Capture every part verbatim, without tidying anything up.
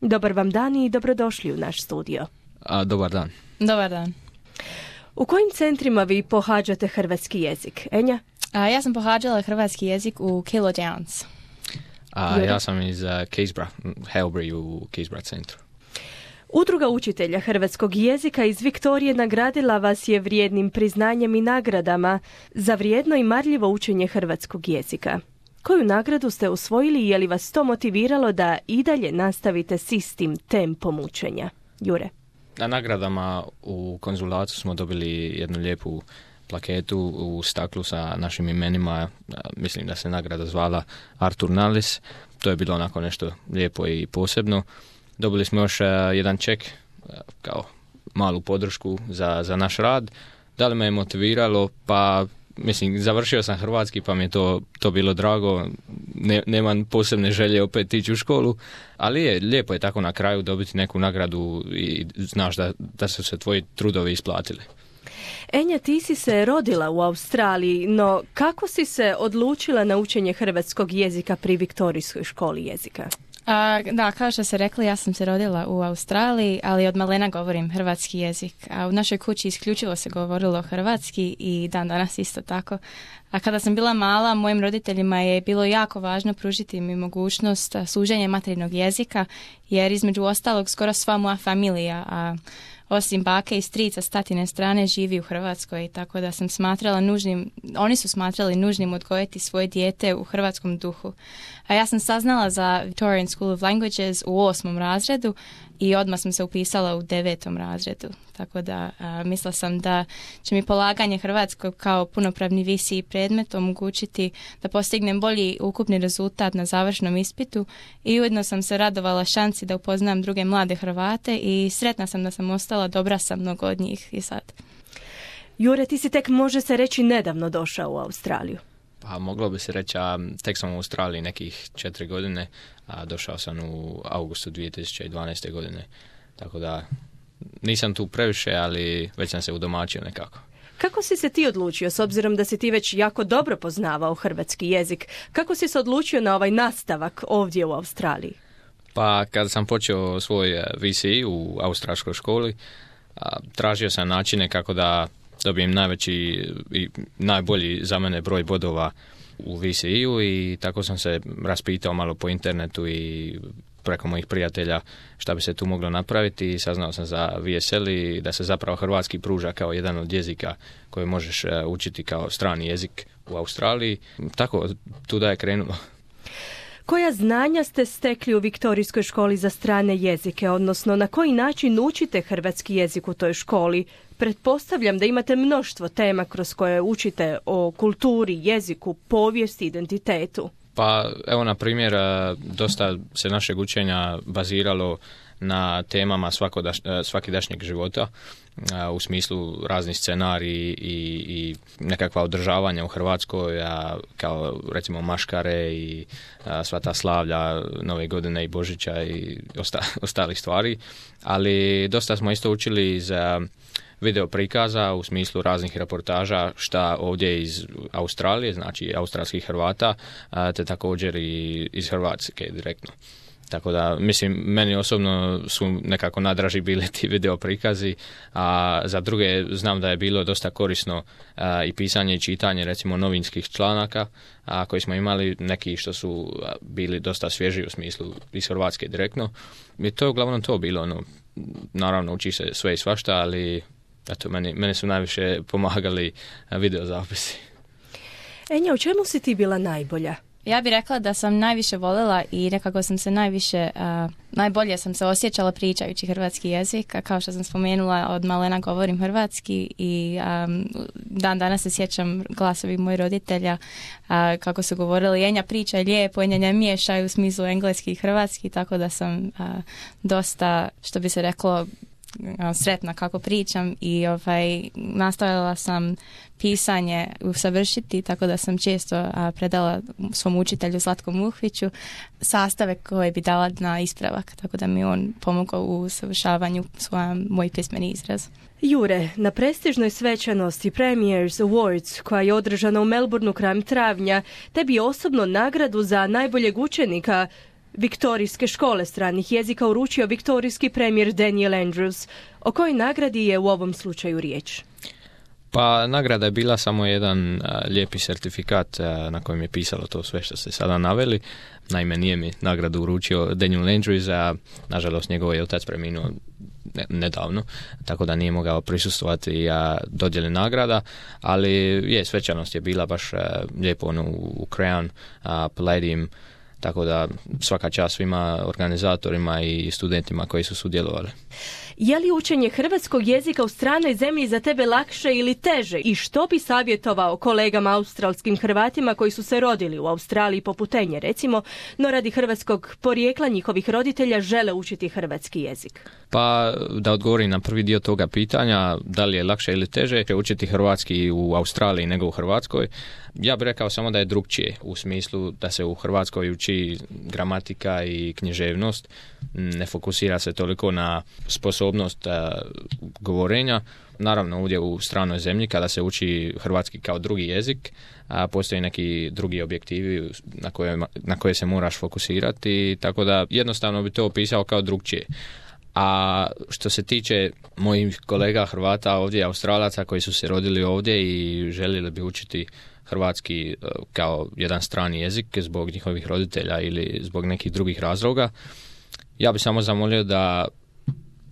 Dobar vam dan i dobrodošli u naš studio. A, dobar dan. Dobar dan. U kojim centrima vi pohađate hrvatski jezik? Enja? A, ja sam pohađala hrvatski jezik u Kilo Downs. A, ja sam iz uh, Keysborough, Halbury u Keysborough centru. Udruga učitelja hrvatskog jezika iz Viktorije nagradila vas je vrijednim priznanjem i nagradama za vrijedno i marljivo učenje hrvatskog jezika. Koju nagradu ste osvojili i je li vas to motiviralo da i dalje nastavite s istim tempom učenja? Jure? Na nagradama u konzulatu smo dobili jednu lijepu plaketu u staklu sa našim imenima. Mislim da se nagrada zvala Artur Nalis. To je bilo onako nešto lijepo i posebno. Dobili smo još jedan ček kao malu podršku za, za naš rad. Da li me je motiviralo? Pa mislim, završio sam hrvatski pa mi je to, to bilo drago. Ne, nemam posebne želje opet ići u školu, ali je lijepo je tako na kraju dobiti neku nagradu i znaš da, da su se tvoji trudovi isplatili. Enja, ti si se rodila u Australiji, no kako si se odlučila na učenje hrvatskog jezika pri Viktorijskoj školi jezika? A, da, kao što ste rekli, ja sam se rodila u Australiji, ali od malena govorim hrvatski jezik. A u našoj kući isključivo se govorilo hrvatski i dan danas isto tako. A kada sam bila mala, mojim roditeljima je bilo jako važno pružiti mi mogućnost služenja materinjeg jezika, jer između ostalog skoro sva moja familija, a osim bake i strica s tatine strane, živi u Hrvatskoj, tako da sam smatrala nužnim, oni su smatrali nužnim odgojiti svoje dijete u hrvatskom duhu. A ja sam saznala za Victorian School of Languages u osmom razredu i odmah sam se upisala u devetom razredu. Tako da a, mislila sam da će mi polaganje hrvatskog kao punopravni visi predmet omogućiti da postignem bolji ukupni rezultat na završnom ispitu i ujedno sam se radovala šansi da upoznam druge mlade Hrvate i sretna sam da sam ostala dobra sa mnogo od njih i sad. Jure, ti si tek, može se reći, nedavno došao u Australiju. Pa moglo bi se reći, a tek sam u Australiji nekih četiri godine, a došao sam u augustu dvije tisuće dvanaeste. godine, tako da nisam tu previše, ali već sam se udomačio nekako. Kako si se ti odlučio, s obzirom da si ti već jako dobro poznavao hrvatski jezik? Kako si se odlučio na ovaj nastavak ovdje u Australiji? Pa kada sam počeo svoj V C E u australskoj školi, tražio sam načine kako da dobijem najveći i najbolji za mene broj bodova u V C E-u i tako sam se raspitao malo po internetu i preko mojih prijatelja šta bi se tu moglo napraviti i saznao sam za V S L i da se zapravo hrvatski pruža kao jedan od jezika koji možeš učiti kao strani jezik u Australiji. Tako, tu da je krenulo. Koja znanja ste stekli u Viktorijskoj školi za strane jezike, odnosno na koji način učite hrvatski jezik u toj školi? Pretpostavljam da imate mnoštvo tema kroz koje učite o kulturi, jeziku, povijesti, identitetu. Pa evo, na primjer, dosta se našeg učenja baziralo na temama svakodaš, svakidašnjeg života, u smislu razni scenariji i, i nekakva održavanja u Hrvatskoj, a, kao recimo maškare i a, sva ta slavlja Nove godine i Božića i osta, ostalih stvari. Ali dosta smo isto učili iz video prikaza u smislu raznih reportaža šta ovdje iz Australije, znači australskih Hrvata, a, te također i iz Hrvatske direktno. Tako da, mislim, meni osobno su nekako nadraži bili ti video prikazi, a za druge znam da je bilo dosta korisno a, i pisanje i čitanje, recimo, novinskih članaka, a, koji smo imali, neki što su a, bili dosta svježi u smislu iz Hrvatske direktno. I to je uglavnom to bilo, no, naravno uči se sve i svašta, ali eto, meni, meni su najviše pomagali video zapisi. Enja, u čemu si ti bila najbolja? Ja bih rekla da sam najviše voljela i nekako sam se najviše, uh, najbolje sam se osjećala pričajući hrvatski jezik, a kao što sam spomenula, od malena govorim hrvatski i um, dan danas se sjećam glasovi mojih roditelja uh, kako su govorili, Enja priča lijepo, Enja ne miješaj u smislu engleski i hrvatski, tako da sam uh, dosta, što bi se reklo, sretna kako pričam i ovaj, nastavila sam pisanje usavršiti, tako da sam često a, predala svom učitelju Zlatku Muhviću sastave koje bi dala na ispravak, tako da mi on pomogao u usavršavanju svoja moj pismeni izraz. Jure, na prestižnoj svečanosti Premiers Awards koja je održana u Melbourneu krajem travnja, tebi osobno nagradu za najboljeg učenika viktorijske škole stranih jezika uručio viktorijski premijer Daniel Andrews. O kojoj nagradi je u ovom slučaju riječ? Pa nagrada je bila samo jedan a, lijepi certifikat a, na kojem je pisalo to sve što ste sada naveli. Naime, nije mi nagradu uručio Daniel Andrews, a nažalost njegov je otac preminuo ne, nedavno, tako da nije mogao prisustvovati a, dodjeli nagrada, ali je, svečanost je bila baš a, lijepo ono, u, u Crown a, Palladium, tako da svaka čast svima organizatorima i studentima koji su sudjelovali. Je li učenje hrvatskog jezika u stranoj zemlji za tebe lakše ili teže? I što bi savjetovao kolegama australskim Hrvatima koji su se rodili u Australiji poput Enje, recimo, no radi hrvatskog porijekla njihovih roditelja žele učiti hrvatski jezik? Pa da odgovorim na prvi dio toga pitanja, da li je lakše ili teže učiti hrvatski u Australiji nego u Hrvatskoj, ja bih rekao samo da je drukčije, u smislu da se u Hrvatskoj uči gramatika i književnost, ne fokusira se toliko na sposobnost a, govorenja. Naravno, ovdje u stranoj zemlji, kada se uči hrvatski kao drugi jezik, a postoji neki drugi objektivi na koje, na koje se moraš fokusirati, tako da jednostavno bi to opisao kao drukčije. A što se tiče mojih kolega Hrvata ovdje, Australaca koji su se rodili ovdje i željeli bi učiti hrvatski kao jedan strani jezik zbog njihovih roditelja ili zbog nekih drugih razloga, ja bih samo zamolio da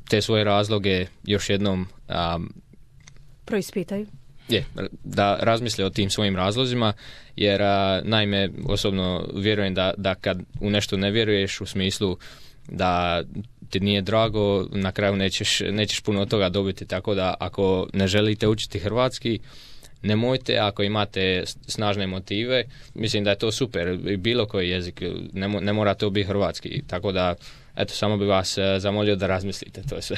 te svoje razloge još jednom um, proispitaju. Je, da razmisle o tim svojim razlozima, jer a, naime osobno vjerujem da, da kad u nešto ne vjeruješ u smislu da ti nije drago, na kraju nećeš, nećeš puno od toga dobiti, tako da ako ne želite učiti hrvatski, nemojte, ako imate snažne motive, mislim da je to super, bilo koji jezik, ne, ne mora to biti hrvatski, tako da eto, samo bi vas zamolio da razmislite, to je sve.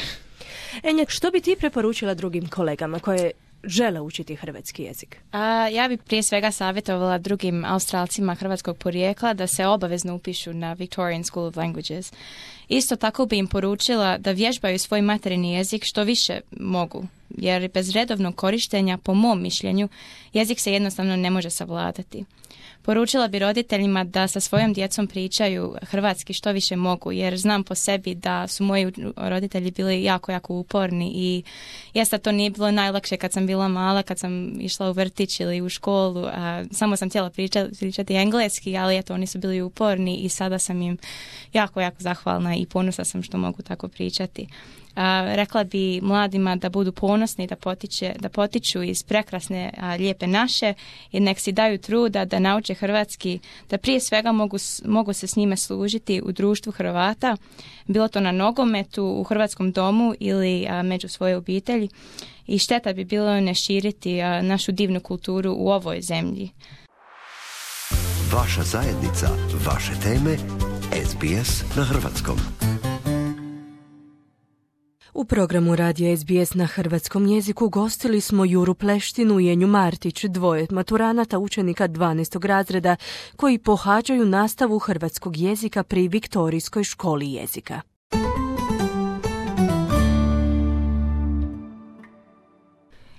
Enja, što bi ti preporučila drugim kolegama koje žele učiti hrvatski jezik? A, ja bih prije svega savjetovala drugim Australcima hrvatskog porijekla da se obavezno upišu na Victorian School of Languages. Isto tako bi im poručila da vježbaju svoj materijni jezik što više mogu, jer bez redovnog korištenja, po mom mišljenju, jezik se jednostavno ne može savladati. Poručila bi roditeljima da sa svojom djecom pričaju hrvatski što više mogu, jer znam po sebi da su moji roditelji bili jako, jako uporni i jeste to nije bilo najlakše kad sam bila mala, kad sam išla u vrtić ili u školu, a samo sam htjela pričati, pričati engleski, ali eto, oni su bili uporni i sada sam im jako, jako zahvalna i ponosna sam što mogu tako pričati. A, rekla bi mladima da budu ponosni, da, potiče, da potiču iz prekrasne, a, lijepe naše i nek si daju truda da nauče hrvatski, da prije svega mogu, mogu se s njime služiti u društvu Hrvata, bilo to na nogometu, u hrvatskom domu ili a, među svoje obitelji, i šteta bi bilo ne širiti a, našu divnu kulturu u ovoj zemlji. Vaša zajednica, vaše teme, S B S na hrvatskom. U programu radija S B S na hrvatskom jeziku gostili smo Juru Pleštinu i Enju Martić, dvoje maturanata učenika dvanaestog razreda koji pohađaju nastavu hrvatskog jezika pri Viktorijskoj školi jezika.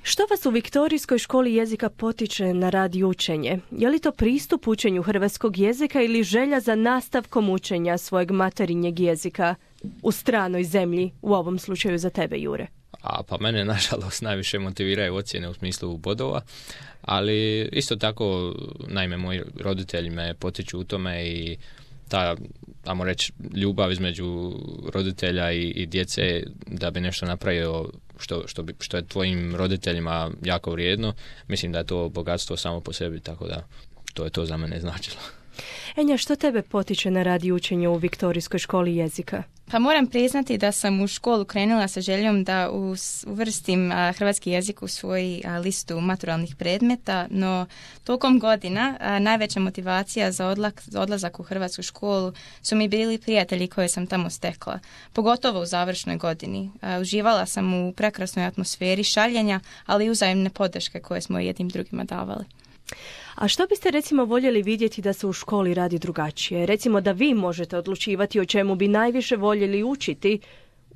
Što vas u Viktorijskoj školi jezika potiče na rad i učenje? Je li to pristup učenju hrvatskog jezika ili želja za nastavkom učenja svojeg materinjeg jezika u stranoj zemlji, u ovom slučaju za tebe, Jure? A pa mene nažalost najviše motiviraju ocjene u smislu bodova, ali isto tako, naime, moji roditelji me potiču u tome i ta, ajmo reći, ljubav između roditelja i, i djece da bi nešto napravio što, što, bi, što je tvojim roditeljima jako vrijedno, mislim da je to bogatstvo samo po sebi, tako da to je to za mene značilo. Enja, što tebe potiče na rad i učenje u Viktorijskoj školi jezika? Pa moram priznati da sam u školu krenula sa željom da uvrstim a, hrvatski jezik u svoju a, listu maturalnih predmeta, no tokom godina a, najveća motivacija za, odlak, za odlazak u hrvatsku školu su mi bili prijatelji koje sam tamo stekla, pogotovo u završnoj godini. A, uživala sam u prekrasnoj atmosferi šaljenja, ali i uzajemne podrške koje smo jednim drugima davali. A što biste recimo voljeli vidjeti da se u školi radi drugačije? Recimo da vi možete odlučivati o čemu bi najviše voljeli učiti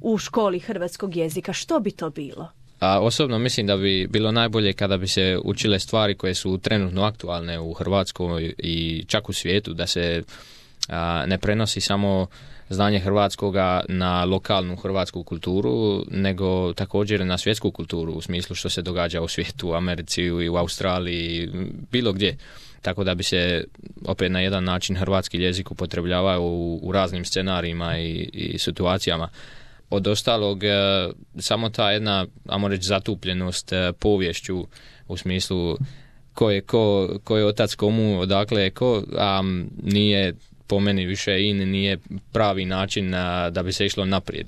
u školi hrvatskog jezika. Što bi to bilo? A osobno mislim da bi bilo najbolje kada bi se učile stvari koje su trenutno aktualne u Hrvatskoj i čak u svijetu, da se a, ne prenosi samo znanje hrvatskoga na lokalnu hrvatsku kulturu, nego također na svjetsku kulturu u smislu što se događa u svijetu, u Americi i u Australiji, bilo gdje. Tako da bi se opet na jedan način hrvatski jezik upotrebljavao u, u raznim scenarijima i, i situacijama. Od ostalog, e, samo ta jedna, ajmo reći, zatupljenost e, poviješću u smislu ko je, ko, ko je otac komu, odakle je ko, a nije po meni više in, nije pravi način a, da bi se išlo naprijed.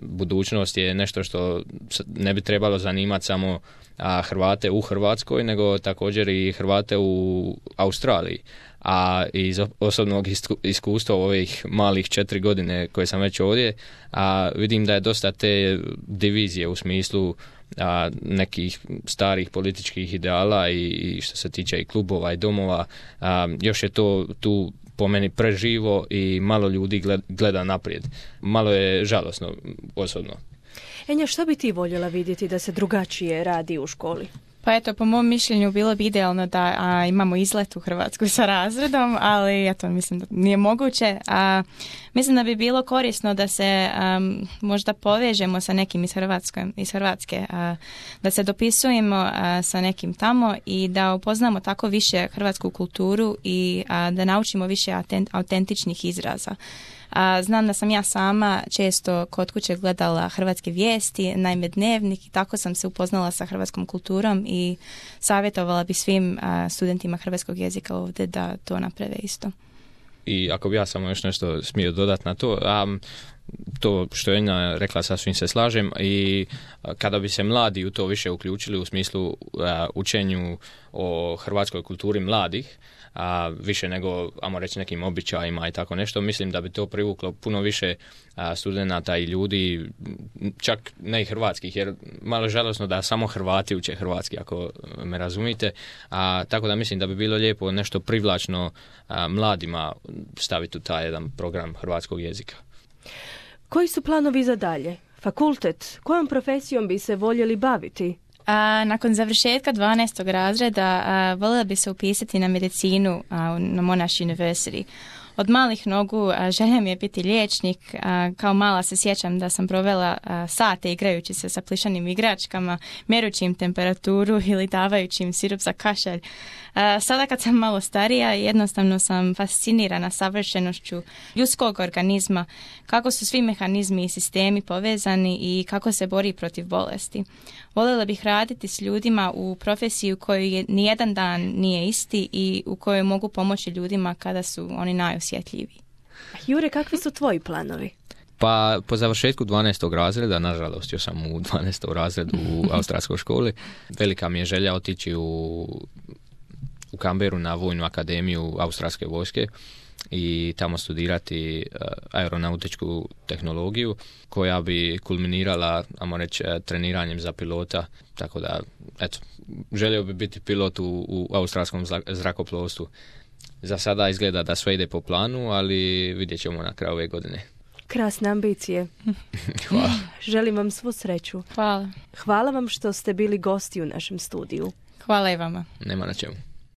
Budućnost je nešto što ne bi trebalo zanimati samo a, Hrvate u Hrvatskoj, nego također i Hrvate u Australiji. A iz osobnog iskustva u ovih malih četiri godine koje sam već ovdje, a vidim da je dosta te divizije u smislu a, nekih starih političkih ideala i, i što se tiče i klubova i domova, a, još je to tu po meni preživo i malo ljudi gleda, gleda naprijed. Malo je žalosno osobno. Enja, što bi ti voljela vidjeti da se drugačije radi u školi? Pa eto, po mom mišljenju bilo bi idealno da a, imamo izlet u Hrvatsku sa razredom, ali ja to mislim da nije moguće. A, mislim da bi bilo korisno da se a, možda povežemo sa nekim iz Hrvatske, iz Hrvatske a, da se dopisujemo a, sa nekim tamo i da upoznamo tako više hrvatsku kulturu i a, da naučimo više autent, autentičnih izraza. A, znam da sam ja sama često kod kuće gledala hrvatske vijesti, naime Dnevnik, i tako sam se upoznala sa hrvatskom kulturom i savjetovala bi svim a, studentima hrvatskog jezika ovdje da to naprave isto. I ako bi ja samo još nešto smio dodati na to, a, to što je Enja rekla, sasvim se slažem, i kada bi se mladi u to više uključili u smislu a, učenju o hrvatskoj kulturi mladih, a više nego, ajmo reći, nekim običajima i tako nešto, mislim da bi to privuklo puno više a, studenata i ljudi, čak ne i hrvatskih, jer malo žalosno da samo Hrvati uče hrvatski, ako me razumite, a, tako da mislim da bi bilo lijepo nešto privlačno a, mladima staviti u taj jedan program hrvatskog jezika. Koji su planovi za dalje? Fakultet? Kojom profesijom bi se voljeli baviti? A, nakon završetka dvanaestog razreda a, voljela bi se upisati na medicinu a, na Monash University. Od malih nogu a, želja mi je biti liječnik. A, kao mala se sjećam da sam provela a, sate igrajući se sa plišanim igračkama, mjerući im temperaturu ili davajući im sirup za kašalj. A, sada kad sam malo starija, jednostavno sam fascinirana savršenošću ljudskog organizma, kako su svi mehanizmi i sistemi povezani i kako se bori protiv bolesti. Voljela bih raditi s ljudima u profesiji u kojoj nijedan dan nije isti i u kojoj mogu pomoći ljudima kada su oni najosjetljiviji. Jure, kakvi su tvoji planovi? Pa po završetku dvanaestog razreda, nažalost još sam u dvanaestom razredu u australskoj školi, velika mi je želja otići u, u Canberru na vojnu akademiju australske vojske i tamo studirati uh, aeronautičku tehnologiju koja bi kulminirala, ajmo reći, treniranjem za pilota, tako da, eto, želio bi biti pilot u, u australskom zrakoplovstvu. Za sada izgleda da sve ide po planu, ali vidjet ćemo na kraju ove godine. Krasne ambicije. Hvala. Želim vam svu sreću. Hvala. Hvala vam što ste bili gosti u našem studiju. Hvala i vama. Nema na čemu.